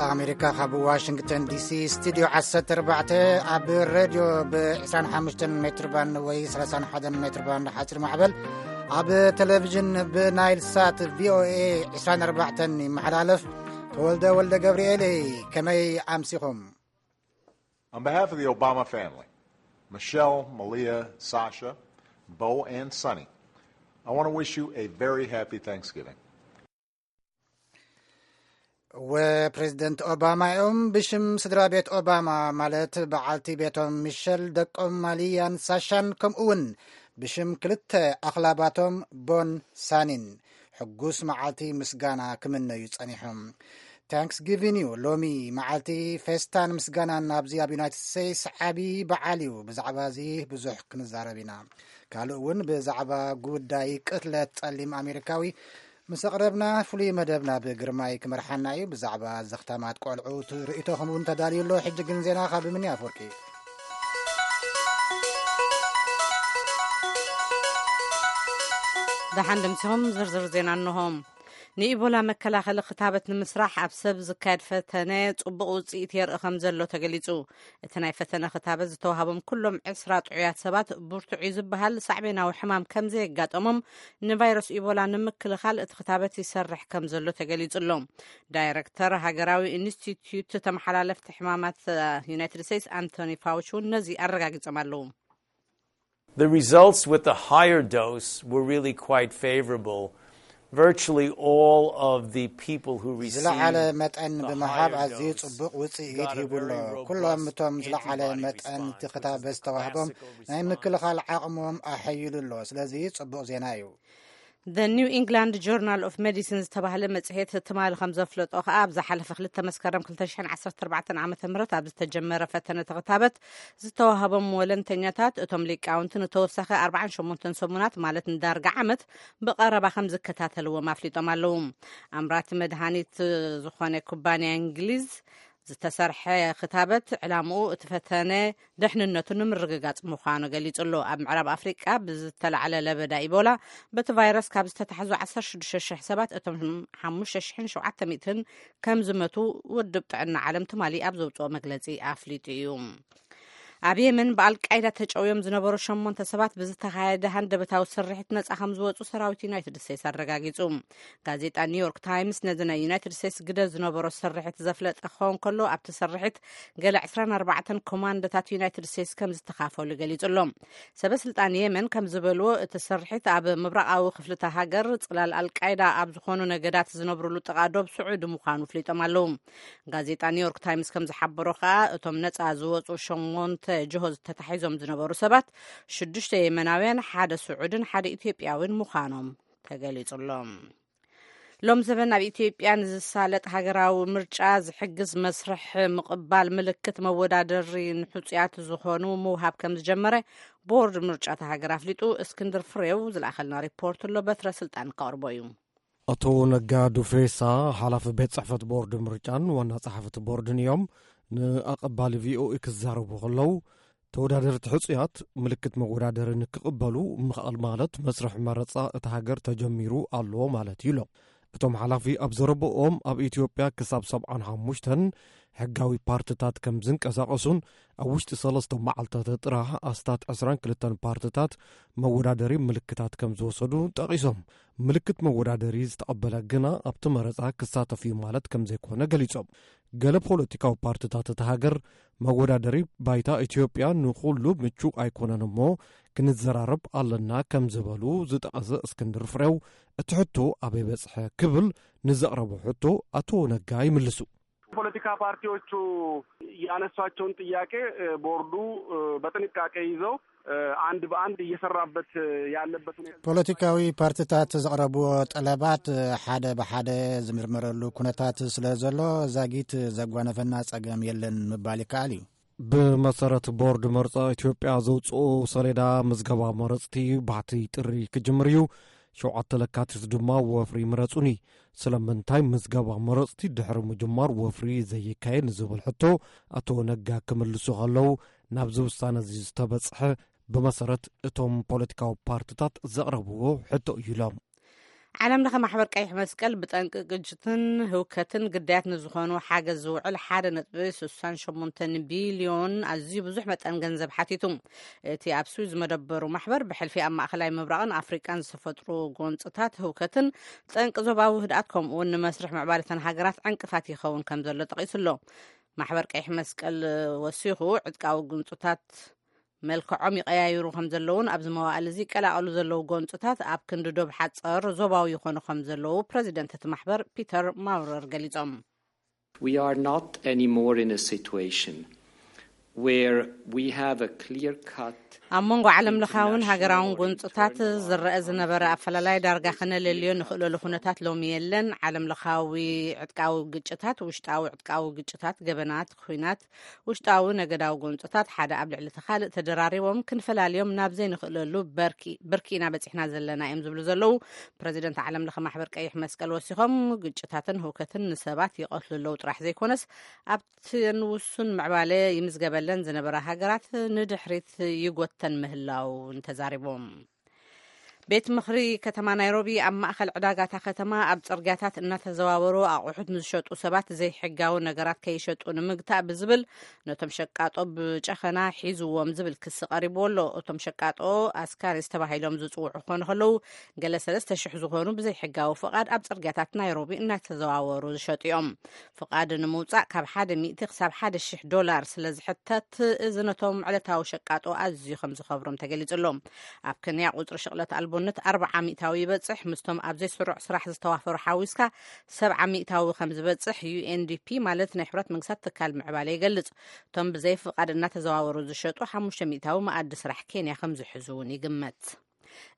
ኣሜሪካ ካብ ዋሽንግተን ዲሲ ስቱድዮ ዓሰርተ ኣርባዕተ፣ ኣብ ሬድዮ ብ ዕስራን ሓሙሽተን ሜትር ባንድ ወይ ሰላሳን ሓደን ሜትር ባንድ ሓፂር ማዕበል፣ ኣብ ቴሌቪዥን ብናይል ሳት ቪኦኤ ዕስራን ኣርባዕተን ይመሓላለፍ። ተወልደ ወልደ ገብርኤል፣ ከመይ ኣምሲኹም? On behalf of the Obama family, Michelle, Malia, Sasha, Bo, and Sonny, I want to wish you a very happy Thanksgiving. ወፕሬዝደንት ኦባማ እዮም። ብሽም ስድራ ቤት ኦባማ፣ ማለት በዓልቲ ቤቶም ሚሸል፣ ደቆም ማሊያን ሳሻን፣ ከምኡ እውን ብሽም ክልተ ኣኽላባቶም ቦን ሳኒን፣ ሕጉስ መዓልቲ ምስጋና ክምነዩ ጸኒሖም። ታንክስጊቪን እዩ። ሎሚ መዓልቲ ፌስታን ምስጋናን ኣብዚ ኣብ ዩናይትድ ስቴትስ ዓቢ በዓል እዩ። ብዛዕባ እዚ ብዙሕ ክንዛረብ ኢና። ካልእ እውን ብዛዕባ ጉዳይ ቅትለት ጸሊም ኣሜሪካዊ ምስ ኣቕረብና፣ ፍሉይ መደብና ብግርማይ ክመርሓና እዩ። ብዛዕባ ዘኽታማት ቆልዑ ርእይቶኹም እውን ተዳልዩ ኣሎ። ሕጂ ግን ዜና ካብ ምኒ ኣፍወርቂ። ደሓን ደምሲኹም። ዝርዝር ዜና እንሆ። ንኢቦላ መከላኸሊ ክታበት ንምስራሕ ኣብ ሰብ ዝካየድ ፈተነ ጽቡቕ ውጽኢት የርኢ ከም ዘሎ ተገሊጹ። እቲ ናይ ፈተነ ክታበት ዝተዋህቦም ኩሎም ዕስራ ጥዑያት ሰባት፣ ብርቱዕ እዩ ዝበሃል ሳዕቤናዊ ሕማም ከም ዘየጋጠሞም፣ ንቫይረስ ኢቦላ ንምክልኻል እቲ ክታበት ይሰርሕ ከም ዘሎ ተገሊጹ ኣሎ። ዳይረክተር ሃገራዊ ኢንስቲትዩት ተመሓላለፍቲ ሕማማት ዩናይትድ ስቴትስ ኣንቶኒ ፋውች እውን ነዚ ኣረጋጊጾም ኣለዉ። The results with the higher dose were really quite favorable. Virtually all of the people who received ዝለዓለ መጠን ብምሃብ ኣዝዩ ጽቡቕ ውጽኢት ሂቡ ኣሎ። ኩሎም እቶም ዝለዓለ መጠን እቲ ክታበት ዝተዋህቦም ናይ ምክልኻል ዓቕሞም ኣሐይሉ ኣሎ። ስለዚ ጽቡቕ ዜና እዩ። The New England Journal of Medicine ዝተባህለ መጽሔት ትማሊ ከም ዘፍለጦ ከኣ፣ ኣብ ዝሓለፈ ክልተ መስከረም ክልተ ሽሕን ዓሰርተ ኣርባዕተን ዓመተ ምህረት ኣብ ዝተጀመረ ፈተነ ተኽታበት ዝተዋህቦም ወለንተኛታት፣ እቶም ሊቃውንቲ ንተወሳኺ ኣርባዓን ሸሞንተን ሰሙናት፣ ማለት ንዳርጋ ዓመት፣ ብቐረባ ከም ዝከታተልዎም ኣፍሊጦም ኣለዉ። ኣምራቲ መድሃኒት ዝኾነ ኩባንያ እንግሊዝ ዝተሰርሐ ክታበት፣ ዕላምኡ እቲ ፈተነ ደሕንነቱ ንምርግጋጽ ምዃኑ ገሊጹ ኣሎ። ኣብ ምዕራብ ኣፍሪቃ ብዝተላዕለ ለበዳ ኢቦላ በቲ ቫይረስ ካብ ዝተታሕዙ ዓሰርተ ሽዱሽተ ሽሕ ሰባት፣ እቶም ሓሙሽተ ሽሕን ሸውዓተ ሚእትን ከም ዝመቱ ውድብ ጥዕና ዓለም ትማሊ ኣብ ዘውጽኦ መግለጺ ኣፍሊጡ እዩ። ኣብ የመን ብኣልቃይዳ ተጨውዮም ዝነበሩ ሸሞንተ ሰባት ብዝተኻየደ ሃንደበታዊ ስርሒት ነጻ ከም ዝወጹ ሰራዊት ዩናይትድ ስቴትስ ኣረጋጊጹ። ጋዜጣ ኒውዮርክ ታይምስ ነዚ ናይ ዩናይትድ ስቴትስ ግደ ዝነበሮ ስርሒት ዘፍለጠ ክኸውን ከሎ፣ ኣብቲ ስርሒት ገለ ዕስራን ኣርባዕተን ኮማንዶታት ዩናይትድ ስቴትስ ከም ዝተኻፈሉ ገሊጹ ኣሎ። ሰበ ስልጣን የመን ከም ዝበልዎ፣ እቲ ስርሒት ኣብ ምብራቓዊ ክፍልታ ሃገር ጽላል ኣልቃይዳ ኣብ ዝኾኑ ነገዳት ዝነብሩሉ ጥቓ ዶብ ስዑዲ ምዃኑ ፍሊጦም ኣለዉ። ጋዜጣ ኒውዮርክ ታይምስ ከም ዝሓበሮ ከኣ፣ እቶም ነጻ ዝወጹ ሸሞንተ ጅሆ ዝተታሒዞም ዝነበሩ ሰባት፣ ሽዱሽተ የመናውያን፣ ሓደ ስዑድን ሓደ ኢትዮጵያዊን ምዃኖም ተገሊጹ ኣሎ። ሎም ዘበን ኣብ ኢትዮጵያ ንዝሳለጥ ሃገራዊ ምርጫ ዝሕግዝ መስርሕ ምቕባል ምልክት መወዳደሪ ንሕጹያት ዝኾኑ ምውሃብ ከም ዝጀመረ ቦርድ ምርጫ እታ ሃገር ኣፍሊጡ። እስክንድር ፍሬው ዝለኣኸልና ሪፖርት ኣሎ፣ በትረ ስልጣን ከቕርቦ እዩ። ኣቶ ነጋ ዱፌሳ፣ ሓላፊ ቤት ጽሕፈት ቦርድ ምርጫን ዋና ጸሓፊ እቲ ቦርድን እዮም ንኣቐባሊ ቪኦኤ ክዛረቡ ከለዉ፣ ተወዳደርቲ ሕጹያት ምልክት መወዳደሪ ንክቕበሉ ምኽኣል ማለት መስርሕ መረጻ እታ ሃገር ተጀሚሩ ኣሎ ማለት እዩ ኢሎም። እቶም ሓላፊ ኣብ ዘረብኦም፣ ኣብ ኢትዮጵያ ክሳብ ሰብዓን ሓሙሽተን ሕጋዊ ፓርትታት ከም ዝንቀሳቐሱን ኣብ ውሽጢ ሰለስተ መዓልታት ጥራሕ ኣስታት ዕስራን ክልተን ፓርትታት መወዳደሪ ምልክታት ከም ዝወሰዱ ጠቒሶም፣ ምልክት መወዳደሪ ዝተቐበለ ግና ኣብቲ መረጻ ክሳተፍ እዩ ማለት ከም ዘይኮነ ገሊጾም። ገለ ፖለቲካዊ ፓርትታት እታ ሃገር፣ መወዳደሪ ባይታ ኢትዮጵያ ንኹሉ ምቹእ ኣይኮነን እሞ ክንዘራረብ ኣለና ከም ዝበሉ ዝጠቐሰ እስክንድር ፍሬው፣ እቲ ሕቶ ኣበይ በጽሐ ክብል ንዘቕረቦ ሕቶ ኣቶ ነጋ ይምልሱ። ፖለቲካ ፓርቲዎቹ ያነሷቸውን ጥያቄ ቦርዱ በጥንቃቄ ይዘው አንድ በአንድ እየሰራበት ያለበት ሁኔታ። ፖለቲካዊ ፓርትታት ዘቕረብዎ ጠለባት ሓደ ብሓደ ዝምርመረሉ ኩነታት ስለ ዘሎ፣ ዛጊት ዘጓነፈና ጸገም የለን ምባል ይከኣል እዩ። ብመሰረት ቦርድ መርጻ ኢትዮጵያ ዘውጽኦ ሰሌዳ፣ ምዝገባ መረጽቲ ባሕቲ ጥሪ ክጅምር እዩ። ሸውዓተ ለካቲት ድማ ወፍሪ ምረጹኒ። ስለምንታይ ምዝገባ መረጽቲ ድሕሪ ምጅማር ወፍሪ ዘይካየድ ንዝብል ሕቶ ኣቶ ነጋ ክምልሱ ከለዉ፣ ናብዚ ውሳነ እዚ ዝተበጽሐ ብመሰረት እቶም ፖለቲካዊ ፓርትታት ዘቕረብዎ ሕቶ እዩ ኢሎም። ዓለም ለኸ ማሕበር ቀይሕ መስቀል ብጠንቂ ግጭትን ህውከትን ግዳያት ንዝኾኑ ሓገዝ ዝውዕል ሓደ ነጥቢ ስሳን ሸሞንተን ቢልዮን ኣዝዩ ብዙሕ መጠን ገንዘብ ሓቲቱ። እቲ ኣብ ስዊዝ ዝመደበሩ ማሕበር ብሕልፊ ኣብ ማእኸላይ ምብራቕን ኣፍሪቃን ዝተፈጥሩ ጎንፅታት ህውከትን ጠንቂ ዞባዊ ህድኣት ከምኡ እውን ንመስርሕ ምዕባለተን ሃገራት ዕንቅፋት ይኸውን ከም ዘሎ ጠቒሱ ኣሎ። ማሕበር ቀይሕ መስቀል ወሲኹ ዕጥቃዊ ጎንፅታት መልክዖም ይቐያይሩ ከም ዘለውን ኣብዚ መዋእል እዚ ይቀላቐሉ ዘለዉ ጎንፅታት ኣብ ክንዲ ዶብ ሓፀር ዞባዊ ይኾኑ ከም ዘለዉ ፕረዚደንት እቲ ማሕበር ፒተር ማውረር ገሊፆም። We are not anymore in a situation where we have a clear cut. ኣብ መንጎ ዓለም ለኻውን ሃገራውን ጎንፅታት ዝረአ ዝነበረ ኣፈላላይ ዳርጋ ክነለልዮ ንኽእለሉ ኩነታት ሎሚ የለን። ዓለም ለኻዊ ዕጥቃዊ ግጭታት፣ ውሽጣዊ ዕጥቃዊ ግጭታት፣ ገበናት፣ ኩናት፣ ውሽጣዊ ነገዳዊ ጎንፅታት ሓደ ኣብ ልዕሊ እቲ ካልእ ተደራሪቦም ክንፈላልዮም ናብ ዘይንኽእለሉ ብርኪ ኢና በፂሕና ዘለና እዮም ዝብሉ ዘለዉ ፕረዚደንት ዓለም ለኸ ማሕበር ቀይሕ መስቀል ወሲኾም፣ ግጭታትን ህውከትን ንሰባት ይቐትሉ ኣለዉ ጥራሕ ዘይኮነስ ኣብተን ውሱን ምዕባለ ይምዝገበለን ዝነበራ ሃገራት ንድሕሪት ይጎተን ምህላው ተዛሪቦም። ቤት ምኽሪ ከተማ ናይሮቢ ኣብ ማእኸል ዕዳጋታ ከተማ ኣብ ፅርግያታት እናተዘዋወሩ ኣቑሑት ንዝሸጡ ሰባት ዘይሕጋዊ ነገራት ከይሸጡ ንምግታእ ብዝብል ነቶም ሸቃጦ ብጨኸና ሒዝዎም ዝብል ክሲ ቀሪቡ ኣሎ። እቶም ሸቃጦ ኣስካሪስ ተባሂሎም ዝፅውዑ ክኾኑ ከለዉ፣ ገለ ሰለስተ ሽሕ ዝኾኑ ብዘይሕጋዊ ፍቓድ ኣብ ፅርግያታት ናይሮቢ እናተዘዋወሩ ዝሸጡ እዮም። ፍቓድ ንምውፃእ ካብ ሓደ ሚእቲ ክሳብ ሓደ ሽሕ ዶላር ስለ ዝሕተት፣ እዚ ነቶም ዕለታዊ ሸቃጦ ኣዝዩ ከም ዝኸብሮም ተገሊጹ ኣሎ። ኣብ ከንያ ቁጽሪ ሽቕለት ኣልቦነት ኣርብዓ ሚእታዊ ይበጽሕ፣ ምስቶም ኣብ ዘይስሩዕ ስራሕ ዝተዋፈሩ ሓዊስካ ሰብዓ ሚእታዊ ከም ዝበጽሕ ዩ ኤን ዲ ፒ ማለት ናይ ሕብረት መንግስታት ትካል ምዕባለ ይገልጽ። እቶም ብዘይ ፍቓድ እናተዘዋወሩ ዝሸጡ ሓሙሽተ ሚእታዊ መኣዲ ስራሕ ኬንያ ከም ዝሕዙ እውን ይግመት።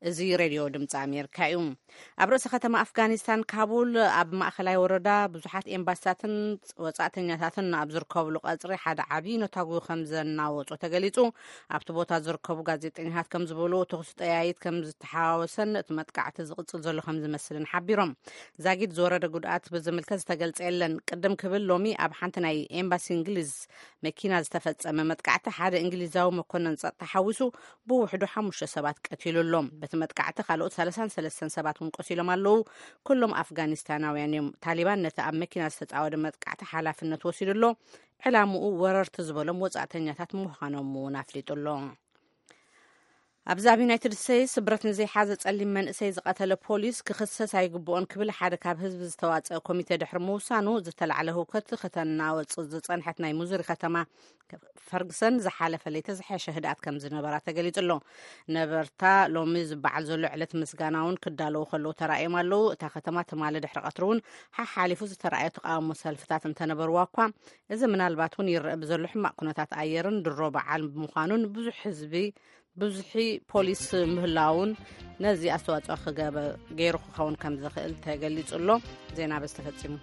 እዚ ሬድዮ ድምፂ ኣሜሪካ እዩ። ኣብ ርእሲ ከተማ ኣፍጋኒስታን ካቡል ኣብ ማእኸላይ ወረዳ ብዙሓት ኤምባሲታትን ወፃእተኛታትን ኣብ ዝርከብሉ ቀፅሪ ሓደ ዓብዪ ነታጉ ከም ዘናወፁ ተገሊፁ። ኣብቲ ቦታ ዝርከቡ ጋዜጠኛታት ከም ዝበሉ፣ ተኹሲ ጠያይት ከም ዝተሓዋወሰን እቲ መጥቃዕቲ ዝቕፅል ዘሎ ከም ዝመስልን ሓቢሮም። ዛጊድ ዝወረደ ጉድኣት ብዝምልከት ዝተገልፀ የለን። ቅድም ክብል ሎሚ ኣብ ሓንቲ ናይ ኤምባሲ እንግሊዝ መኪና ዝተፈፀመ መጥቃዕቲ ሓደ እንግሊዛዊ መኮነን ፀጥታ ሓዊሱ ብውሕዱ ሓሙሽተ ሰባት ቀቲሉ ኣሎ። በቲ መጥቃዕቲ ካልኦት ሰላሳን ሰለስተን ሰባት እውን ቆሲሎም ኣለዉ። ኩሎም ኣፍጋኒስታናውያን እዮም። ታሊባን ነቲ ኣብ መኪና ዝተፃወደ መጥቃዕቲ ሓላፍነት ወሲዱ ኣሎ። ዕላምኡ ወረርቲ ዝበሎም ወፃእተኛታት ምዃኖም እውን ኣፍሊጡ ኣሎ። ኣብዚ ኣብ ዩናይትድ ስቴትስ ብረት ንዘይሓዘ ጸሊም መንእሰይ ዝቐተለ ፖሊስ ክኽሰስ ኣይግብኦን ክብል ሓደ ካብ ህዝቢ ዝተዋጸአ ኮሚቴ ድሕሪ ምውሳኑ፣ ዝተላዕለ ህውከት ከተናወጽ ዝጸንሐት ናይ ሙዙሪ ከተማ ፈርግሰን ዝሓለፈ ለይቲ ዝሐሸ ህድኣት ከም ዝነበራ ተገሊጹ ኣሎ። ነበርታ ሎሚ ዝበዓል ዘሎ ዕለት ምስጋናውን ክዳለዉ ከለዉ ተራእዮም ኣለዉ። እታ ከተማ ትማሊ ድሕሪ ቀትሪ እውን ሓሓሊፉ ዝተራእየ ተቃውሞ ሰልፍታት እንተነበርዋ እኳ፣ እዚ ምናልባት እውን ይረአ ብዘሎ ሕማቕ ኩነታት ኣየርን ድሮ በዓል ብምዃኑን ብዙሕ ህዝቢ ብዙሒ ፖሊስ ምህላውን ነዚ ኣስተዋፅኦ ክገበ ገይሩ ክኸውን ከም ዝኽእል ተገሊጹ ኣሎ። ዜና በዚ ተፈጺሙ።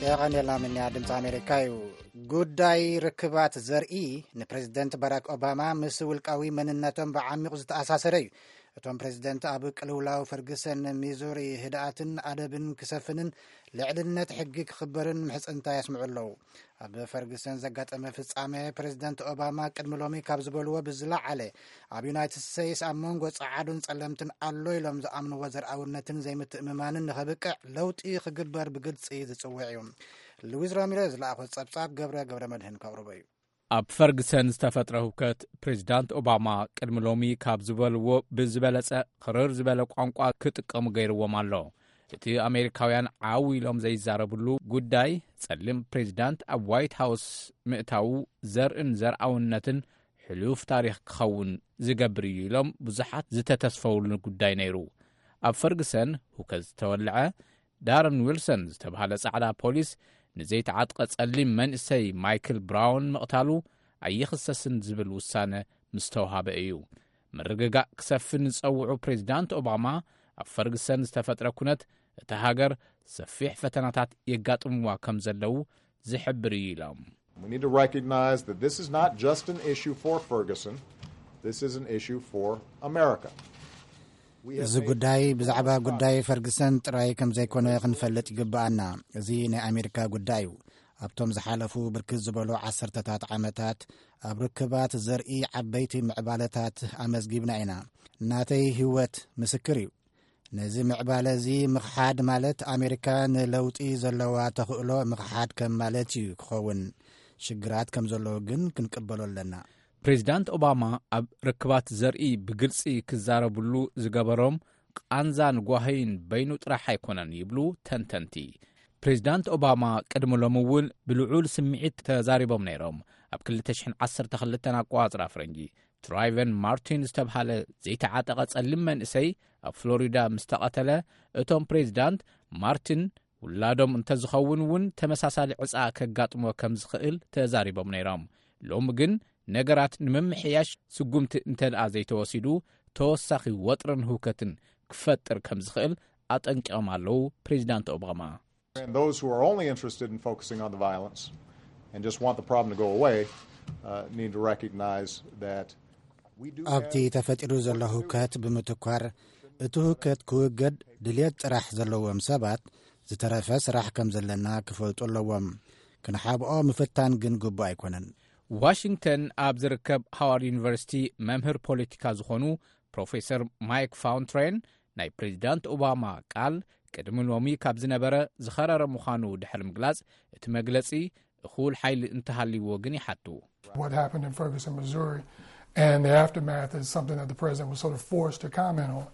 የቐንየልና ምንያ ድምፂ ኣሜሪካ እዩ። ጉዳይ ርክባት ዘርኢ ንፕሬዚደንት ባራክ ኦባማ ምስ ውልቃዊ መንነቶም ብዓሚቑ ዝተኣሳሰረ እዩ። እቶም ፕሬዚደንት ኣብ ቅልውላው ፈርግሰን ሚዙሪ ህድኣትን ኣደብን ክሰፍንን ልዕልነት ሕጊ ክኽበርን ምሕፅንታ የስምዑ ኣለዉ። ኣብ ፈርግሰን ዘጋጠመ ፍጻሜ ፕሬዚደንት ኦባማ ቅድሚ ሎሚ ካብ ዝበልዎ ብዝለዓለ ኣብ ዩናይትድ ስቴትስ ኣብ መንጎ ጸዓዱን ጸለምትን ኣሎ ኢሎም ዝኣምንዎ ዘርኣውነትን ዘይምትእምማንን ንኸብቅዕ ለውጢ ክግበር ብግልጺ ዝጽውዕ እዩ። ሉዊዝ ራሚሬዝ ዝለኣኾ ጸብጻብ ገብረ ገብረ መድህን ከቕርቦ እዩ። ኣብ ፈርግሰን ዝተፈጥረ ህውከት ፕሬዚዳንት ኦባማ ቅድሚ ሎሚ ካብ ዝበልዎ ብዝበለጸ ክርር ዝበለ ቋንቋ ክጥቀሙ ገይርዎም ኣሎ። እቲ ኣሜሪካውያን ዓው ኢሎም ዘይዛረብሉ ጉዳይ ጸሊም ፕሬዚዳንት ኣብ ዋይት ሃውስ ምእታዉ ዘርእን ዘርኣውነትን ሕሉፍ ታሪኽ ክኸውን ዝገብር እዩ ኢሎም ብዙሓት ዝተተስፈውሉ ጉዳይ ነይሩ። ኣብ ፈርግሰን ህውከት ዝተወልዐ ዳረን ዊልሰን ዝተባህለ ጻዕዳ ፖሊስ ንዘይተዓጥቀ ጸሊም መንእሰይ ማይክል ብራውን ምቕታሉ ኣይኽሰስን ዝብል ውሳነ ምስ ተውሃበ እዩ። ምርግጋእ ክሰፍን ዝጸውዑ ፕሬዚዳንት ኦባማ ኣብ ፈርግሰን ዝተፈጥረ ኩነት እታ ሃገር ሰፊሕ ፈተናታት የጋጥምዋ ከም ዘለዉ ዝሕብር እዩ ኢሎም። We need to recognize that this is not just an issue for Ferguson. This is an issue for America. እዚ ጉዳይ ብዛዕባ ጉዳይ ፈርግሰን ጥራይ ከም ዘይኮነ ክንፈልጥ ይግብኣና። እዚ ናይ ኣሜሪካ ጉዳይ እዩ። ኣብቶም ዝሓለፉ ብርክት ዝበሉ ዓሰርተታት ዓመታት ኣብ ርክባት ዘርኢ ዓበይቲ ምዕባለታት ኣመዝጊብና ኢና። ናተይ ህይወት ምስክር እዩ። ነዚ ምዕባለ እዚ ምኽሓድ ማለት ኣሜሪካ ንለውጢ ዘለዋ ተኽእሎ ምኽሓድ ከም ማለት እዩ ክኸውን። ሽግራት ከም ዘለዉ ግን ክንቅበሎ ኣለና። ፕሬዚዳንት ኦባማ ኣብ ርክባት ዘርኢ ብግልጺ ክዛረብሉ ዝገበሮም ቃንዛን ጓህይን በይኑ ጥራሕ ኣይኮነን ይብሉ ተንተንቲ። ፕሬዚዳንት ኦባማ ቅድሚ ሎሚ እውን ብልዑል ስምዒት ተዛሪቦም ነይሮም። ኣብ ክልተ ሽሕን ዓሰርተ ክልተን ኣቆጻጽራ ፈረንጂ ትራይቨን ማርቲን ዝተብሃለ ዘይተዓጠቐ ጸሊም መንእሰይ ኣብ ፍሎሪዳ ምስ ተቐተለ፣ እቶም ፕሬዚዳንት ማርቲን ውላዶም እንተዝኸውን እውን ተመሳሳሊ ዕጻ ከጋጥሞ ከም ዝኽእል ተዛሪቦም ነይሮም። ሎሚ ግን ነገራት ንምምሕያሽ ስጉምቲ እንተደኣ ዘይተወሲዱ ተወሳኺ ወጥርን ህውከትን ክፈጥር ከም ዝኽእል ኣጠንቂቖም ኣለዉ ፕሬዚዳንት ኦባማ። And those who are only interested in focusing on the violence and just want the problem to go away uh, need to recognize that we do ኣብቲ ተፈጢሩ ዘሎ ህውከት ብምትኳር እቲ ህውከት ክውገድ ድልየት ጥራሕ ዘለዎም ሰባት ዝተረፈ ስራሕ ከም ዘለና ክፈልጡ ኣለዎም። ክንሓብኦ ምፍታን ግን ግቡእ ኣይኮነን። ዋሽንግተን ኣብ ዝርከብ ሃዋርድ ዩኒቨርሲቲ መምህር ፖለቲካ ዝኾኑ ፕሮፌሰር ማይክ ፋውንትሬን ናይ ፕሬዚዳንት ኦባማ ቃል ቅድሚ ሎሚ ካብ ዝነበረ ዝኸረረ ምዃኑ ድሕሪ ምግላጽ፣ እቲ መግለጺ እኹል ሓይሊ እንተሃልይዎ ግን ይሓቱ። What happened in Ferguson, Missouri, and the aftermath is something that the president was sort of forced to comment on.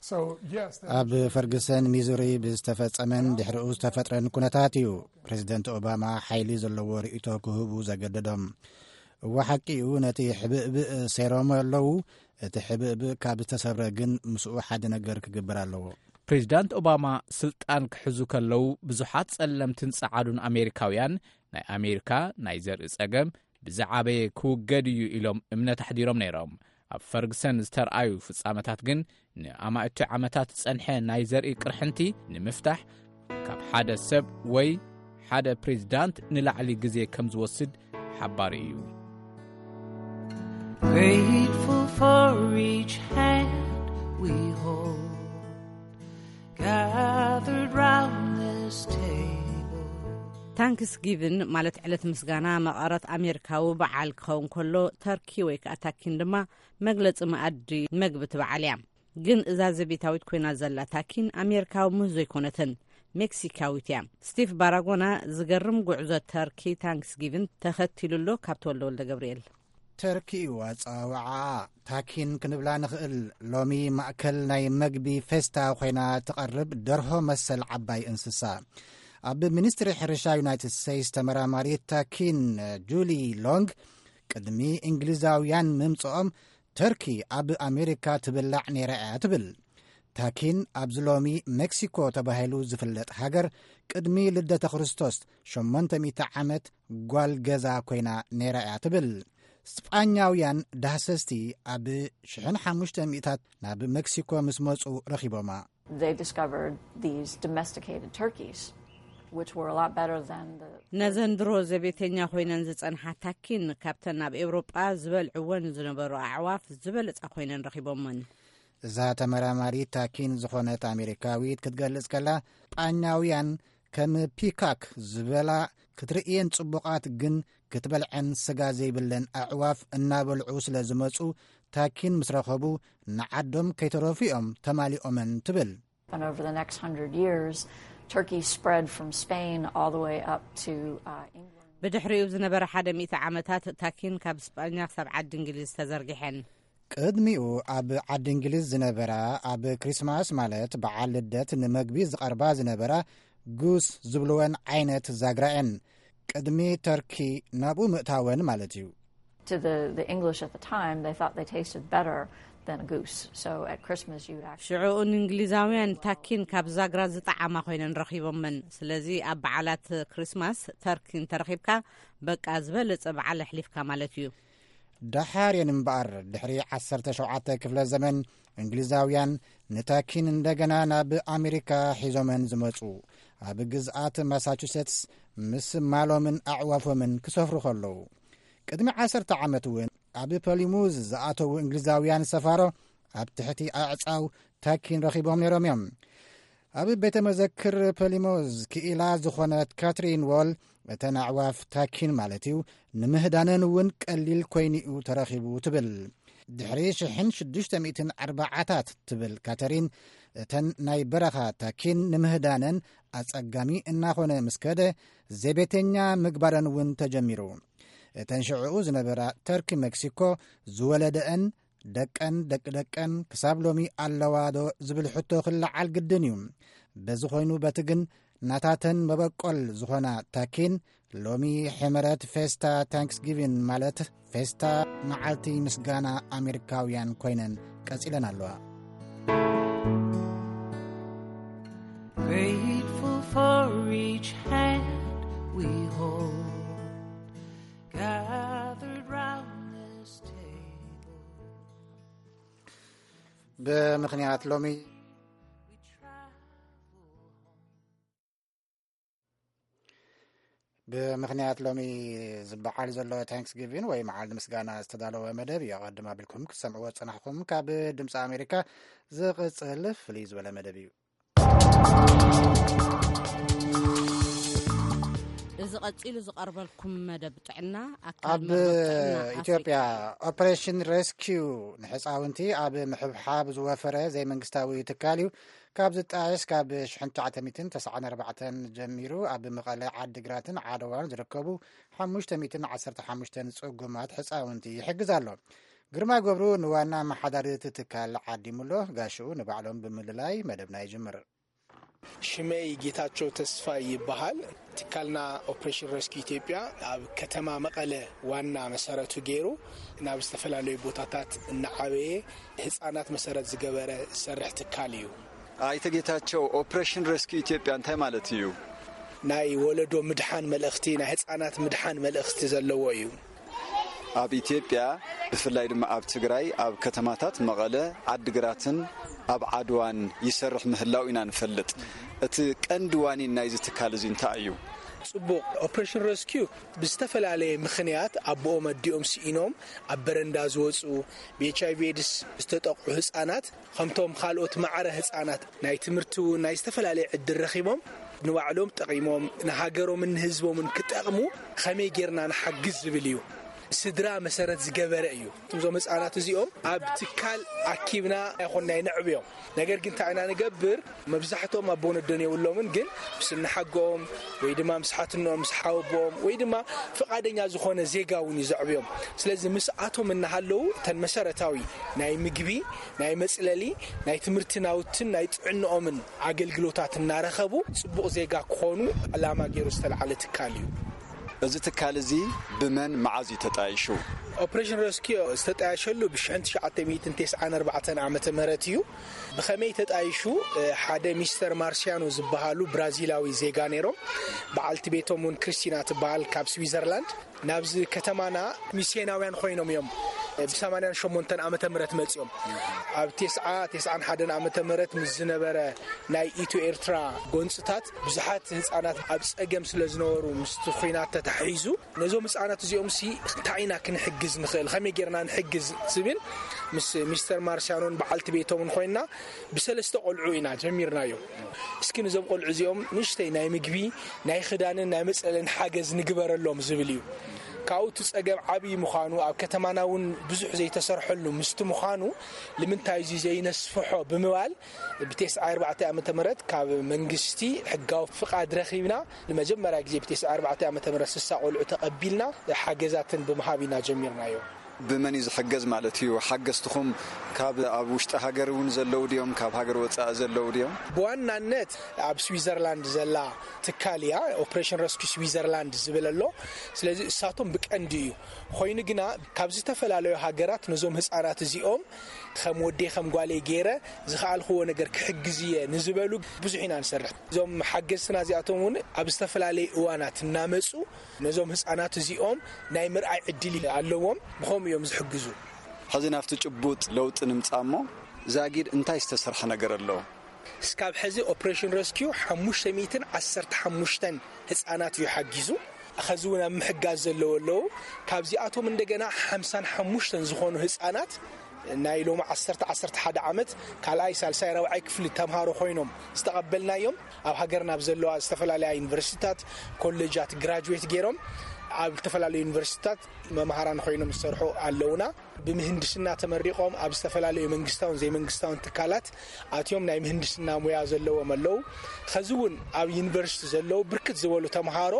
So, yes, that ኣብ ፈርግሰን ሚዙሪ ብዝተፈጸመን ድሕሪኡ ዝተፈጥረን ኩነታት እዩ ፕሬዚደንት ኦባማ ሓይሊ ዘለዎ ርእይቶ ክህቡ ዘገደዶም። እወ ሓቂ እዩ፣ ነቲ ሕብእብእ ሰይሮም ኣለዉ። እቲ ሕብእብእ ካብ ዝተሰብረ ግን ምስኡ ሓደ ነገር ክግበር ኣለዎ። ፕሬዚዳንት ኦባማ ስልጣን ክሕዙ ከለዉ ብዙሓት ጸለምትን ጸዓዱን ኣሜሪካውያን ናይ ኣሜሪካ ናይ ዘርኢ ጸገም ብዝዓበየ ክውገድ እዩ ኢሎም እምነት ኣሕዲሮም ነይሮም። ኣብ ፈርግሰን ዝተርኣዩ ፍጻመታት ግን ንኣማእቲ ዓመታት ዝጸንሐ ናይ ዘርኢ ቅርሕንቲ ንምፍታሕ ካብ ሓደ ሰብ ወይ ሓደ ፕሬዚዳንት ንላዕሊ ግዜ ከም ዝወስድ ሓባሪ እዩ። Grateful for each hand we hold, gathered round this table. ታንክስ ጊቭን ማለት ዕለት ምስጋና መቐረት ኣሜሪካዊ በዓል ክኸውን ከሎ፣ ተርኪ ወይ ከዓ ታኪን ድማ መግለፂ መኣዲ መግቢ እቲ በዓል እያ። ግን እዛ ዘቤታዊት ኮይና ዘላ ታኪን ኣሜሪካዊ ምህዞ ኣይኮነትን፣ ሜክሲካዊት እያ። ስቲቭ ባራጎና ዝገርም ጉዕዞ ተርኪ ታንክስ ጊቭን ተኸቲሉ ኣሎ። ካብ ተወልደ ወልደ ገብርኤል። ተርኪ እዩ ኣጸዋውዓኣ። ታኪን ክንብላ ንኽእል። ሎሚ ማእከል ናይ መግቢ ፌስታ ኮይና ትቐርብ ደርሆ መሰል ዓባይ እንስሳ። ኣብ ሚኒስትሪ ሕርሻ ዩናይትድ ስቴትስ ተመራማሪት ታኪን ጁሊ ሎንግ ቅድሚ እንግሊዛውያን ምምጽኦም ተርኪ ኣብ ኣሜሪካ ትብላዕ ነይራ እያ ትብል። ታኪን ኣብዚ ሎሚ ሜክሲኮ ተባሂሉ ዝፍለጥ ሃገር ቅድሚ ልደተ ክርስቶስ ሸሞንተ ሚእቲ ዓመት ጓል ገዛ ኮይና ነይራ እያ ትብል። ስጳኛውያን ዳህሰስቲ ኣብ ሽሕን ሓሙሽተ ሚእታት ናብ ሜክሲኮ ምስ መጹ ረኺቦማ። They discovered these domesticated turkeys, which were a lot better than the. ነዘን ድሮ ዘቤተኛ ኮይነን ዝጸንሓ ታኪን ካብተን ኣብ ኤውሮጳ ዝበልዕወን ዝነበሩ ኣዕዋፍ ዝበለጻ ኮይነን ረኺቦመን። እዛ ተመራማሪት ታኪን ዝኾነት ኣሜሪካዊት ክትገልጽ ከላ፣ ስጳኛውያን ከም ፒካክ ዝበላ ክትርእየን ጽቡቓት ግን ክትበልዐን ስጋ ዘይብለን ኣዕዋፍ እናበልዑ ስለ ዝመጹ፣ ታኪን ምስ ረኸቡ ንዓዶም ከይተረፉ እዮም ተማሊኦመን ትብል። And over the next hundred years, turkeys spread from Spain all the way up to uh, England. ብድሕሪኡ ዝነበረ ሓደ ሚእቲ ዓመታት ታኪን ካብ ስጳኛ ክሳብ ዓዲ እንግሊዝ ተዘርጊሐን። ቅድሚኡ ኣብ ዓዲ እንግሊዝ ዝነበራ ኣብ ክሪስማስ ማለት በዓል ልደት ንመግቢ ዝቐርባ ዝነበራ ጉስ ዝብልወን ዓይነት ዛግራ እየን። ቅድሚ ተርኪ ናብኡ ምእታወን ማለት እዩ። To the, the English at the time, they thought they tasted better than a goose. So at Christmas, you'd actually. ሽዑኡ ንእንግሊዛውያን ታኪን ካብ ዛግራ ዝጠዓማ ኮይነን ረኺቦመን። ስለዚ ኣብ በዓላት ክሪስማስ ተርኪ እንተረኺብካ በቃ ዝበለጸ በዓል ኣሕሊፍካ ማለት እዩ። ደሓር እየን እምበኣር ድሕሪ ዓሰርተ ሸውዓተ ክፍለ ዘመን እንግሊዛውያን ንታኪን እንደገና ናብ ኣሜሪካ ሒዞመን ዝመጹ። ኣብ ግዝኣት ማሳቹሴትስ ምስ ማሎምን ኣዕዋፎምን ክሰፍሩ ከለዉ። ቅድሚ ዓሰርተ ዓመት እውን ኣብ ፐሊሙዝ ዝኣተዉ እንግሊዛውያን ሰፋሮ ኣብ ትሕቲ ኣዕጻው ታኪን ረኺቦም ነይሮም እዮም። ኣብ ቤተ መዘክር ፐሊሙዝ ክኢላ ዝኾነት ካትሪን ዎል እተን ኣዕዋፍ ታኪን ማለት እዩ፣ ንምህዳነን እውን ቀሊል ኮይኑ'ዩ ተረኺቡ ትብል። ድሕሪ ሽሕን ሽዱሽተ ሚእትን ኣርባዓታት ትብል ካተሪን፣ እተን ናይ በረኻ ታኪን ንምህዳነን ኣጸጋሚ እናኾነ ምስ ከደ፣ ዘቤተኛ ምግባረን እውን ተጀሚሩ። እተን ሽዕኡ ዝነበራ ተርኪ ሜክሲኮ ዝወለደአን ደቀን ደቂ ደቀን ክሳብ ሎሚ ኣለዋ ዶ ዝብል ሕቶ ክለዓል ግድን እዩ። በዚ ኮይኑ በቲ ግን ናታተን መበቆል ዝኾና ታኪን ሎሚ ሕመረት ፌስታ ታንክስጊቪን ማለት ፌስታ መዓልቲ ምስጋና ኣሜሪካውያን ኮይነን ቀጺለን ኣለዋ። Grateful for each hand we hold, gathered round this table. ብምኽንያት ሎሚ ብምኽንያት ሎሚ ዝበዓል ዘሎ ታንክስጊቪን ወይ መዓልቲ ምስጋና ዝተዳለወ መደብ እዩ። ኣቐድም ኣቢልኩም ክትሰምዕዎ ዝጸናሕኩም ካብ ድምፂ ኣሜሪካ ዝቕጽል ፍልይ ዝበለ መደብ እዩ። እዚ ቀጺሉ ዝቐርበልኩም መደብ ጥዕና ኣካል ኣብ መርበብ ጥዕና ኣፍሪቃ ኢትዮጵያ እዩ። ኦፕሬሽን ሬስኪዩ ንሕፃውንቲ ኣብ ምሕብሓብ ዝወፈረ ዘይመንግስታዊ ትካል እዩ። ካብ ዝጣየስ ካብ ሽሕን ትሽዓተ ሚእትን ተስዓን ኣርባዕተን ጀሚሩ ኣብ መቐለ፣ ዓድግራትን ዓድዋን ዝርከቡ ሓሙሽተ ሚእትን ዓሰርተ ሓሙሽተን ጽጉማት ሕፃውንቲ ይሕግዝ ኣሎ። ግርማ ገብሩ ንዋና መሓዳሪ እቲ ትካል ዓዲሙሎ፣ ጋሽኡ ንባዕሎም ብምልላይ መደብና ይጅምር። ሽመይ ጌታቸው ተስፋይ ይበሃል። ትካልና ኦፕሬሽን ረስኪ ኢትዮጵያ ኣብ ከተማ መቐለ ዋና መሰረቱ ገይሩ ናብ ዝተፈላለዩ ቦታታት እናዓበየ ህፃናት መሰረት ዝገበረ ዝሰርሕ ትካል እዩ። ኣይተ ጌታቸው፣ ኦፕሬሽን ረስኪ ኢትዮጵያ እንታይ ማለት እዩ? ናይ ወለዶ ምድሓን መልእኽቲ፣ ናይ ህፃናት ምድሓን መልእኽቲ ዘለዎ እዩ። ኣብ ኢትዮጵያ ብፍላይ ድማ ኣብ ትግራይ ኣብ ከተማታት መቐለ፣ ዓድግራትን ኣብ ዓድዋን ይሰርሕ ምህላው ኢና ንፈልጥ። እቲ ቀንዲ ዋኒን ናይዚ ትካል እዚ እንታይ እዩ? ጽቡቕ። ኦፕሬሽን ረስኪዩ ብዝተፈላለየ ምኽንያት ኣቦኦም ኣዲኦም ስኢኖም ኣብ በረንዳ ዝወፁ፣ ብኤች ኣይቪ ኤድስ ዝተጠቕዑ ህፃናት ከምቶም ካልኦት ማዕረ ህፃናት ናይ ትምህርቲ እውን ናይ ዝተፈላለየ ዕድል ረኺቦም ንባዕሎም ጠቒሞም ንሃገሮምን ንህዝቦምን ክጠቕሙ ከመይ ጌርና ንሓግዝ ዝብል እዩ። ስድራ መሰረት ዝገበረ እዩ። እዞም ህፃናት እዚኦም ኣብ ትካል ኣኪብና ኣይኮንና ነዕብዮም። ነገር ግን እንታይ ኢና ንገብር? መብዛሕትኦም ኣቦ ወለዶን የብሎምን፣ ግን ምስ እንሓጎኦም ወይ ድማ ምስ ሓትኖም ምስ ሓወቦኦም ወይ ድማ ፍቓደኛ ዝኾነ ዜጋ እውን እዩ ዘዕብዮም። ስለዚ ምስኣቶም እናሃለዉ እተን መሰረታዊ ናይ ምግቢ፣ ናይ መፅለሊ፣ ናይ ትምህርቲ ናውትን ናይ ጥዕንኦምን ኣገልግሎታት እናረኸቡ ፅቡቕ ዜጋ ክኾኑ ዕላማ ገይሩ ዝተልዓለ ትካል እዩ። እዚ ትካል እዚ ብመን መዓዝ እዩ ተጣይሹ? ኦፕሬሽን ረስኪዮ ዝተጣየሸሉ ብ ሽሕን ትሽዓተ ሚእትን ተስዓን ኣርባዕተን ዓመተ ምህረት እዩ። ብኸመይ ተጣይሹ? ሓደ ሚስተር ማርሲያኖ ዝበሃሉ ብራዚላዊ ዜጋ ነይሮም። በዓልቲ ቤቶም እውን ክርስቲና ትበሃል ካብ ስዊዘርላንድ ናብዚ ከተማና ሚስዮናውያን ኮይኖም እዮም። ብ ሰማንያን ሸሞንተን ዓመተ ምህረት መጺኦም ኣብ ተስዓ ተስዓን ሓደን ዓመተ ምህረት ምስ ዝነበረ ናይ ኢትዮ ኤርትራ ጎንጽታት ብዙሓት ህጻናት ኣብ ጸገም ስለ ዝነበሩ ምስቲ ኹናት ተታሒዙ ነዞም ህጻናት እዚኦም ሲ እንታይ ኢና ክንሕግዝ ንኽእል፣ ከመይ ጌርና ንሕግዝ ዝብል ምስ ሚስተር ማርሲያኖን በዓልቲ ቤቶምን ኮይና ብሰለስተ ቆልዑ ኢና ጀሚርናዮ። እስኪ ነዞም ቆልዑ እዚኦም ንእሽተይ ናይ ምግቢ ናይ ክዳንን ናይ መጸለልን ሓገዝ ንግበረሎም ዝብል እዩ። ካብኡ እቲ ጸገም ዓብዪ ምዃኑ ኣብ ከተማና እውን ብዙሕ ዘይተሰርሐሉ ምስቲ ምዃኑ ንምንታይ እዚ ዘይነስፍሖ ብምባል ብተስዓ ኣርባዕተ ዓመተ ምህረት ካብ መንግስቲ ሕጋዊ ፍቓድ ረኺብና ንመጀመርያ ግዜ ብተስዓ ኣርባዕተ ዓመተ ምህረት ስሳ ቆልዑ ተቐቢልና ሓገዛትን ብምሃብ ኢና ጀሚርናዮ። ብመን እዩ ዝሕገዝ ማለት እዩ? ሓገዝትኹም ካብ ኣብ ውሽጢ ሃገር እውን ዘለዉ ድዮም? ካብ ሃገር ወፃኢ ዘለዉ ድዮም? ብዋናነት ኣብ ስዊዘርላንድ ዘላ ትካል እያ፣ ኦፕሬሽን ረስኪ ስዊዘርላንድ ዝብል ኣሎ። ስለዚ እሳቶም ብቀንዲ እዩ። ኮይኑ ግና ካብ ዝተፈላለዩ ሃገራት ነዞም ህፃናት እዚኦም ከም ወደይ ከም ጓለይ ገይረ ዝኸኣልክዎ ነገር ክሕግዝ እየ ንዝበሉ ብዙሕ ኢና ንሰርሕ። እዞም ሓገዝትና እዚኣቶም እውን ኣብ ዝተፈላለዩ እዋናት እናመፁ ነዞም ህፃናት እዚኦም ናይ ምርኣይ ዕድል ኣለዎም። ብኸምኡ እዮም ዝሕግዙ። ሕዚ ናብቲ ጭቡጥ ለውጢ ንምጻእ እሞ ዛጊድ እንታይ ዝተሰርሐ ነገር ኣሎ? እስካብ ሕዚ ኦፕሬሽን ረስኪዩ ሓሙሽተ ሚእትን ዓሰርተ ሓሙሽተን ህፃናት እዩ ሓጊዙ። ኸዚ እውን ኣብ ምሕጋዝ ዘለዎ ኣለዉ። ካብዚኣቶም እንደገና ሓምሳን ሓሙሽተን ዝኾኑ ህፃናት ናይ ሎም ዓሰርተ ዓሰርተ ሓደ ዓመት ካልኣይ፣ ሳልሳይ፣ ራብዓይ ክፍሊ ተምሃሮ ኮይኖም ዝተቐበልናዮም፣ ኣብ ሃገርና ኣብ ዘለዋ ዝተፈላለያ ዩኒቨርሲቲታት፣ ኮሌጃት ግራጁዌት ገይሮም ኣብ ዝተፈላለዩ ዩኒቨርሲቲታት መምሃራን ኮይኖም ዝሰርሑ ኣለውና። ብምህንድስና ተመሪቖም ኣብ ዝተፈላለዩ መንግስታውን ዘይመንግስታውን ትካላት ኣትዮም ናይ ምህንድስና ሙያ ዘለዎም ኣለዉ። ኸዚ እውን ኣብ ዩኒቨርሲቲ ዘለዉ ብርክት ዝበሉ ተምሃሮ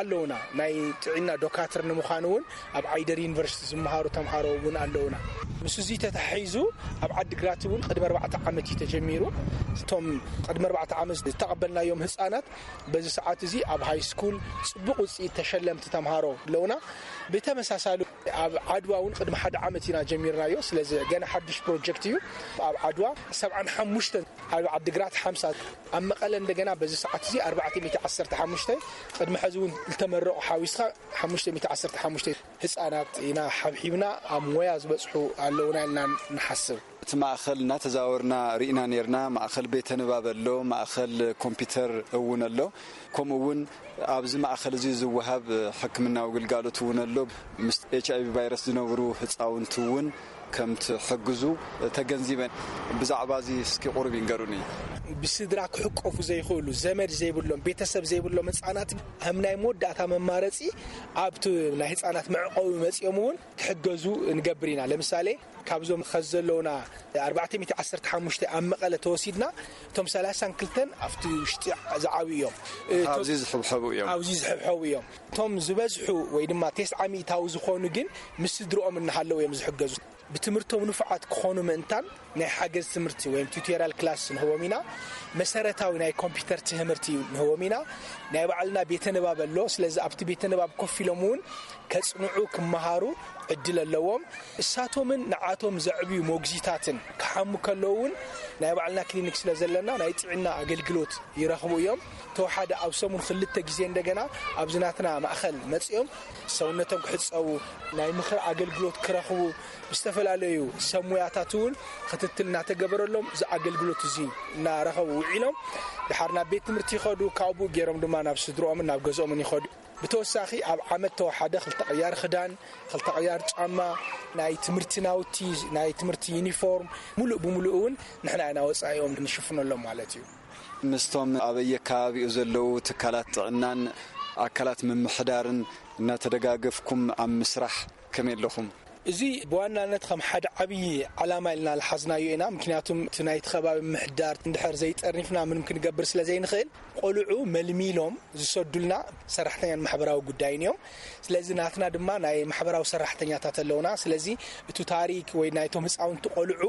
ኣለውና። ናይ ጥዕና ዶካትር ንምዃን እውን ኣብ ዓይደር ዩኒቨርሲቲ ዝመሃሩ ተምሃሮ እውን ኣለውና። ምስ እዚ ተታሒዙ ኣብ ዓዲግራት እውን ቅድሚ ኣርባዕተ ዓመት እዩ ተጀሚሩ። እቶም ቅድሚ ኣርባዕተ ዓመት ዝተቐበልናዮም ህፃናት በዚ ሰዓት እዚ ኣብ ሃይ ስኩል ፅቡቕ ውፅኢት ተሸለምቲ ተምሃሮ ኣለውና። ብተመሳሳሊ ኣብ ዓድዋ እውን ቅድሚ ሓደ ዓመት ኢና ጀሚርናዮ። ስለዚ ገና ሓድሽ ፕሮጀክት እዩ። ኣብ ዓድዋ ሰብዓን ሓሙሽተን፣ ኣብ ዓዲግራት ሓምሳ፣ ኣብ መቐለ እንደገና በዚ ሰዓት እዚ ኣርባዕተ ሚእቲ ዓሰርተ ሓሙሽተ፣ ቅድሚ ሕዚ እውን ዝተመረቑ ሓዊስካ ሓሙሽተ ሚእቲ ዓሰርተ ሓሙሽተ ህፃናት ኢና ሓብሒብና ኣብ ሞያ ዝበፅሑ ኣለውና ኢልና ንሓስብ። እቲ ማእኸል እናተዛወርና ርኢና ነርና። ማእኸል ቤተ ንባብ ኣሎ፣ ማእኸል ኮምፒውተር እውን ኣሎ። ከምኡ እውን ኣብዚ ማእኸል እዚ ዝወሃብ ሕክምናዊ ግልጋሎት እውን ኣሎ። ምስ ኤች ኣይ ቪ ቫይረስ ዝነብሩ ህፃውንቲ እውን ከም ትሕግዙ ተገንዚበን። ብዛዕባ እዚ እስኪ ቁሩብ ይንገሩኒ። ብስድራ ክሕቆፉ ዘይኽእሉ፣ ዘመድ ዘይብሎም፣ ቤተሰብ ዘይብሎም ህፃናት ከም ናይ መወዳእታ መማረፂ ኣብቲ ናይ ህፃናት መዕቆቢ መፂኦም እውን ክሕገዙ ንገብር ኢና። ለምሳሌ ካብዞም ኸዚ ዘለውና ኣርባዕተ ሚእቲ ዓሰርተ ሓሙሽተ ኣብ መቐለ ተወሲድና፣ እቶም ሰላሳን ክልተን ኣብቲ ውሽጢ ዝዓብዩ እዮም። እ፣ ኣብዚ ዝሕብሐቡ እዮም። ኣብዚ ዝሕብሐቡ እዮም። እቶም ዝበዝሑ ወይ ድማ ተስዓ ሚእታዊ ዝኾኑ ግን ምስ ስድርኦም እናሃለዉ እዮም ዝሕገዙ። ብትምህርቶም ንፉዓት ክኾኑ ምእንታን ናይ ሓገዝ ትምህርቲ ወይ ቱቶሪያል ክላስ ንህቦም ኢና። መሰረታዊ ናይ ኮምፒውተር ትምህርቲ ንህቦም ኢና። ናይ ባዕልና ቤተ ንባብ ኣሎ። ስለዚ ኣብቲ ቤተ ንባብ ኮፍ ኢሎም እውን ከጽንዑ፣ ክመሃሩ ዕድል ኣለዎም። እሳቶምን ንዓቶም ዘዕብዩ ሞግዚታትን ክሓሙ ከለዉ እውን ናይ ባዕልና ክሊኒክ ስለ ዘለና ናይ ጥዕና ኣገልግሎት ይረኽቡ እዮም። ተወሓደ ኣብ ሰሙን ክልተ ግዜ እንደገና ኣብዚ ናትና ማእኸል መጺኦም ሰውነቶም ክሕጸቡ፣ ናይ ምኽሪ ኣገልግሎት ክረኽቡ፣ ብዝተፈላለዩ ሰብ ሙያታት እውን ክትትል እናተገበረሎም እዚ ኣገልግሎት እዚ እናረኸቡ ውዒሎም፣ ድሓር ናብ ቤት ትምህርቲ ይኸዱ። ካብኡ ገይሮም ድማ ናብ ስድርኦምን ናብ ገዝኦምን ይኸዱ። ብተወሳኺ ኣብ ዓመት ተወሓደ ክልተ ቅያር ክዳን፣ ክልተ ቅያር ጫማ፣ ናይ ትምህርቲ ናውቲ፣ ናይ ትምህርቲ ዩኒፎርም፣ ሙሉእ ብሙሉእ እውን ንሕና ኢና ወጻኢኦም ንሽፍነሎም ማለት እዩ። ምስቶም ኣበየ ከባቢኡ ዘለዉ ትካላት ጥዕናን ኣካላት ምምሕዳርን እናተደጋገፍኩም ኣብ ምስራሕ ከመይ ኣለኹም? እዚ ብዋናነት ከም ሓደ ዓብዪ ዓላማ ኢልና ዝሓዝናዮ ኢና። ምክንያቱም እቲ ናይቲ ከባቢ ምሕዳር እንድሕር ዘይጠርኒፍና ምንም ክንገብር ስለ ዘይንኽእል፣ ቆልዑ መልሚሎም ዝሰዱልና ሰራሕተኛን ማሕበራዊ ጉዳይን እዮም። ስለዚ ናትና ድማ ናይ ማሕበራዊ ሰራሕተኛታት ኣለውና። ስለዚ እቲ ታሪክ ወይ ናይቶም ህፃውንቲ ቆልዑ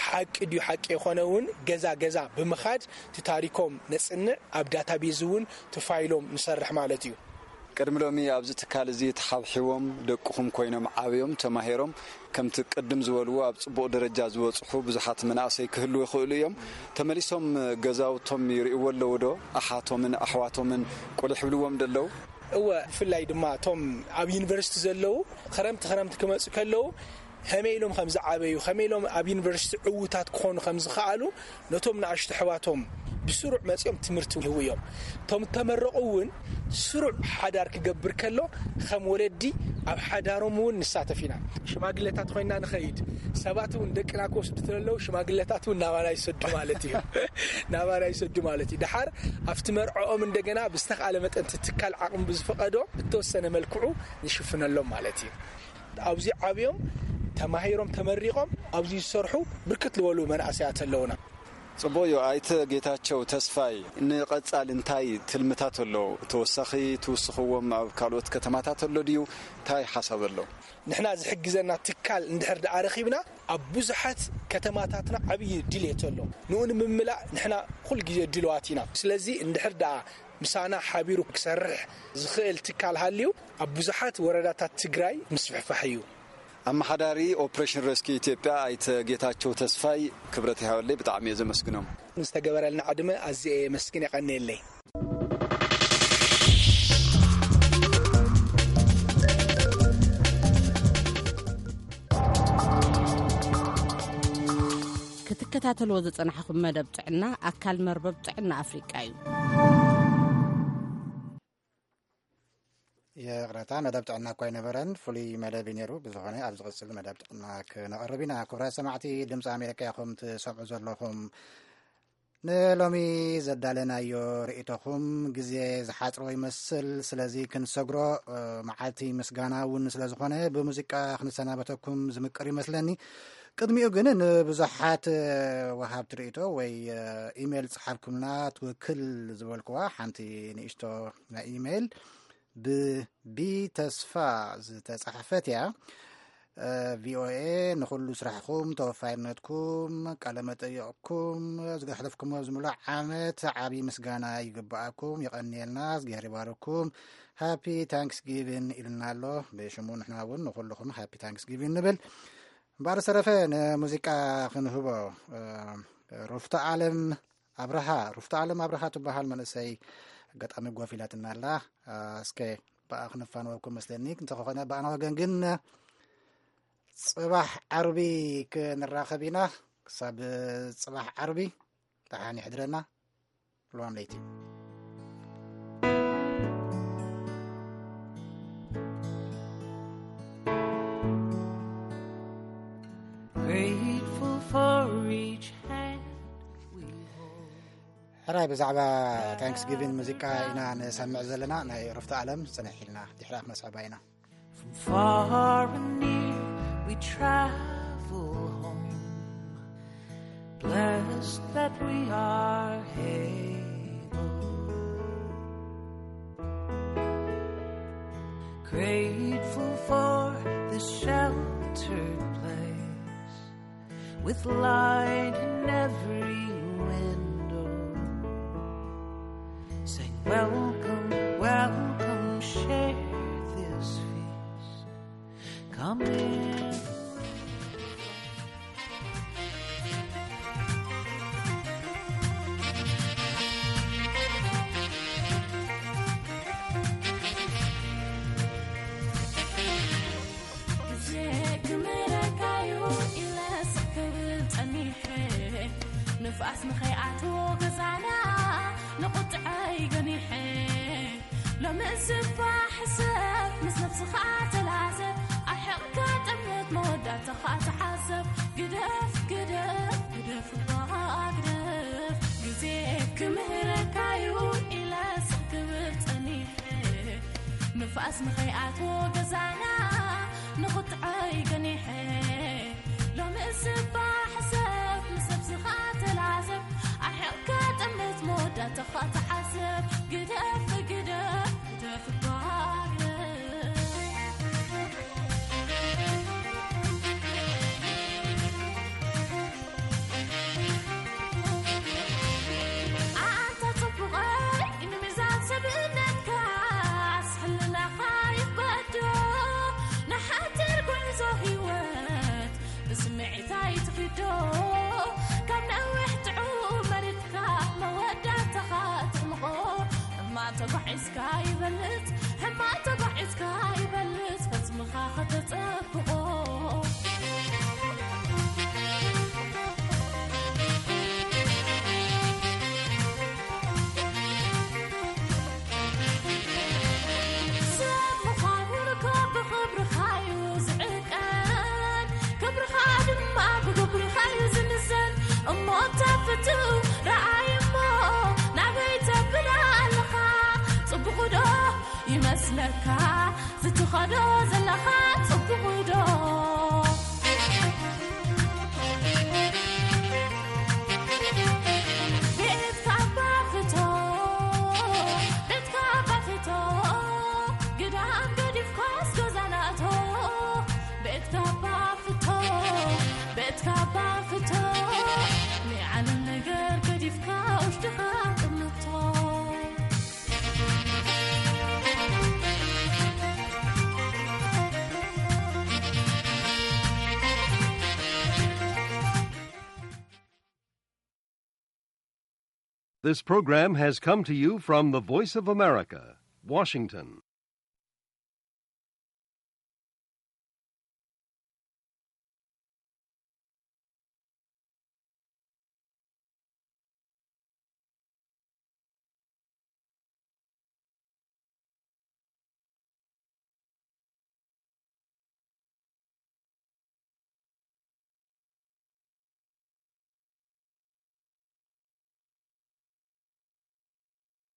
ሓቂ ድዩ ሓቂ የኾነ እውን ገዛ ገዛ ብምኻድ እቲ ታሪኮም ነፅንዕ፣ ኣብ ዳታቤዝ እውን እቲ ፋይሎም ንሰርሕ ማለት እዩ። ቅድሚ ሎሚ ኣብዚ ትካል እዚ ተሓብሒቦም ደቅኹም ኮይኖም ዓብዮም ተማሂሮም ከምቲ ቅድም ዝበልዎ ኣብ ጽቡቕ ደረጃ ዝበጽሑ ብዙሓት መናእሰይ ክህልዉ ይኽእሉ እዮም። ተመሊሶም ገዛውቶም ይርእይዎ ኣለዉ ዶ? ኣሓቶምን ኣሕዋቶምን ቁልሕ ይብልዎም ዶ ኣለዉ? እወ፣ ብፍላይ ድማ እቶም ኣብ ዩኒቨርሲቲ ዘለዉ ክረምቲ ክረምቲ ክመጹ ከለዉ ከመይ ኢሎም ከም ዝዓበዩ፣ ከመይ ኢሎም ኣብ ዩኒቨርሲቲ ዕዉታት ክኾኑ ከም ዝኸኣሉ ነቶም ንኣሽቱ ኣሕዋቶም ብስሩዕ መጺኦም ትምህርቲ ይህቡ እዮም። እቶም ተመረቑ እውን ስሩዕ ሓዳር ክገብር ከሎ ከም ወለዲ ኣብ ሓዳሮም እውን ንሳተፍ ኢና። ሽማግለታት ኮይና ንኸይድ፣ ሰባት እውን ደቅና ክወስዱ ተለዉ ሽማግለታት እውን ናባና ይሰዱ ማለት እዩ። ናባና ይሰዱ ማለት እዩ። ድሓር ኣብቲ መርዕኦም እንደገና ብዝተኻለ መጠን እቲ ትካል ዓቕሚ ብዝፈቐዶ ብተወሰነ መልክዑ ንሽፍነሎም ማለት እዩ። ኣብዚ ዓብዮም ተማሂሮም ተመሪቖም ኣብዚ ዝሰርሑ ብርክት ዝበሉ መናእሰያት ኣለውና። ጽቡቕ እዩ። ኣይተ ጌታቸው ተስፋይ፣ ንቐጻሊ እንታይ ትልምታት ኣሎ? ተወሳኺ ትውስኽዎም ኣብ ካልኦት ከተማታት ኣሎ ድዩ? እንታይ ሓሳብ ኣሎ? ንሕና ዝሕግዘና ትካል እንድሕር ደኣ ረኺብና፣ ኣብ ብዙሓት ከተማታትና ዓብዪ ድልየት ኣሎ። ንኡ ንምምላእ ንሕና ኩል ግዜ ድልዋት ኢና። ስለዚ እንድሕር ደኣ ምሳና ሓቢሩ ክሰርሕ ዝኽእል ትካል ሃልዩ፣ ኣብ ብዙሓት ወረዳታት ትግራይ ምስፍሕፋሕ እዩ። ኣመሓዳሪ ኦፕሬሽን ረስኪ ኢትዮጵያ ኣይተ ጌታቸው ተስፋይ፣ ክብረት ይሃበለይ፣ ብጣዕሚ እየ ዘመስግኖም። ንዝተገበረልና ዕድመ ኣዝየ የመስግን፣ የቐንየለይ። ክትከታተልዎ ዝጸናሕኹም መደብ ጥዕና ኣካል መርበብ ጥዕና ኣፍሪቃ እዩ። ይቕረታ፣ መደብ ጥዕና እኳ ኣይነበረን፣ ፍሉይ መደብ እዩ ነይሩ። ብዝኾነ፣ ኣብ ዝቕጽል መደብ ጥዕና ክነቕርብ ኢና። ክቡራት ሰማዕቲ ድምፂ ኣሜሪካ ኢኹም ትሰምዑ ዘለኹም። ንሎሚ ዘዳለናዮ ርእይቶኹም ግዜ ዝሓጽሮ ይመስል፣ ስለዚ ክንሰግሮ፣ እ፣ መዓልቲ ምስጋና እውን ስለ ዝኾነ፣ ብሙዚቃ ክንሰናበተኩም ዝምቅር ይመስለኒ። ቅድሚኡ ግን ንብዙሓት፣ እ፣ ወሃብቲ ርእይቶ ወይ፣ እ፣ ኢሜይል ጸሓፍኩምና፣ ትውክል ዝበልኩዋ ሓንቲ ንእሽቶ ናይ ኢሜይል ብቢ ተስፋ ዝተጻሕፈት እያ። እ፣ ቪ ኦ ኤ ንኹሉ ስራሕኩም፣ ተወፋይነትኩም፣ ቃለ መጠይቕኩም፣ ዝገሕለፍኩሞ ዝምሉእ ዓመት ዓቢ ምስጋና ይግብኣኩም። የቐንየልና፣ እዝግሄር ይባርኩም። ሃፒ ታንክስጊቪን ኢልና ኣሎ። ብሽሙ ንሕና እውን ንኹልኹም ሃፒ ታንክስጊቪን ንብል። እምበኣር ዝተረፈ ንሙዚቃ ክንህቦ፣ እ፣ ሩፍታ ኣለም ኣብርሃ፣ ሩፍታ ኣለም ኣብርሃ ትበሃል መንእሰይ ኣጋጣሚ ጎፍ ኢላትና ኣላ። እ፣ እስከ ብኣ ክንፋነወኩም መስለኒ። እንተኾነ ብኣና ወገን ግን ጽባሕ ዓርቢ ክንራኸብ ኢና። ክሳብ ጽባሕ ዓርቢ ደሓን ይሕድረና። ሉዋም ለይቲ። Grateful for each hand we hold. ሕራይ ብዛዕባ ታንክስጊቪን ሙዚቃ ኢና ንሰምዕ ዘለና። ናይ ሩፍታ ኣለም ጽንሕ ኢልና ድሕሪ ኣብ መስዕባ ኢና። From far and near we travel home. Blessed that we are able. Grateful for this sheltered place with light in every window. Say, "Welcome, welcome, share this feast. Come in." ግዜ ክምህረካዩ ኢለ ስቕ ክብል ጸኒሐ፣ ንፋስ ንኸይኣትዎ ገዛና ንቑጥዐይ ገኒሐ። ሎሚ እባ ሕሰብ፣ ምስ ነብስኻ ተላዘብ፣ ኣርሒቕካ ጠምት መወዳእታኻ ተሓሰብ። ግደፍ፣ ግደፍ፣ ግደፍ እባ ግደፍ። ግዜ ክምህረካዩ ኢለ ስቕ ክብል ጸኒሐ፣ ንፋስ ንኸይኣትዎ ገዛና ንቑጥዐይ ገኒሐ። ሎሚ እባ ሕሰብ፣ ምስ ነብስኻ ተላዘብ፣ ኣርሒቕካ ጠምት መወዳእታኻ ተሓሰብ። ግደፍ፣ ግደፍ፣ ግደፍ እባ ግደፍ። ኣንታ ጽቡቐይ፣ ንሚዛን ሰብእነትካ ኣስሕልላኻ ይበዶ። ንሓጺር ጉዕዞ ህይወት ብስምዒት ኣይትኺዶ። ካብ ነዊሕ ጥዑም መሪጽካ መወዳእታኻ ትሕምቖ። ሕማቕ ተጓዒዝካ ይበልጽ፣ ሕማቕ ተጓዒዝካ ይበልጽ፣ ፈጽምኻ ከተጸብቖ። ሰብ ምዃን ውልኮ ብኽብርኻዩ ዝዕቀን፣ ክብርኻ ድማ ብግብርኻዩ ዝምዘን። እሞ እታ ፍትው ረኣይ እሞ ናበይ ተብል ኣለኻ? ጽቡቕ ዶ ይመስለካ ዝትኸዶ ዘለኻ ጽቡቕ ዶ? ቤትካ ባፍቶ፣ ቤትካ ባፍቶ፣ ግዳም ገዲፍካስ ገዛናቶ። ቤትካ ባፍቶ፣ ቤትካ ባፍቶ፣ ናይ ዓለም ነገር ገዲፍካ ውሽጥኻ ጥምቶ። This program has come to you from the Voice of America, Washington.